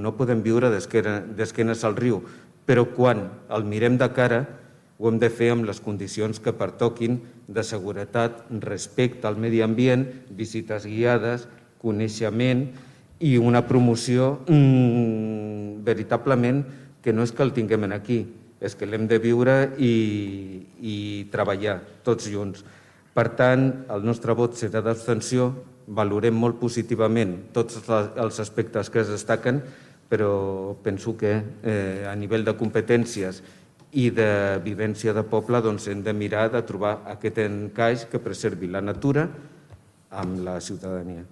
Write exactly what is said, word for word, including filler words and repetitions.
No podem viure d'esquenes al riu, però quan el mirem de cara ho hem de fer amb les condicions que pertoquin de seguretat, respecte al medi ambient, visites guiades, coneixement i una promoció mmm, veritablement que no és que el tinguem aquí, és que l'hem de viure i, i treballar tots junts. Per tant, el nostre vot serà d'abstenció, valorem molt positivament tots els aspectes que es destaquen, però penso que eh, a nivell de competències i de vivència de poble doncs, hem de mirar de trobar aquest encaix que preservi la natura amb la ciutadania.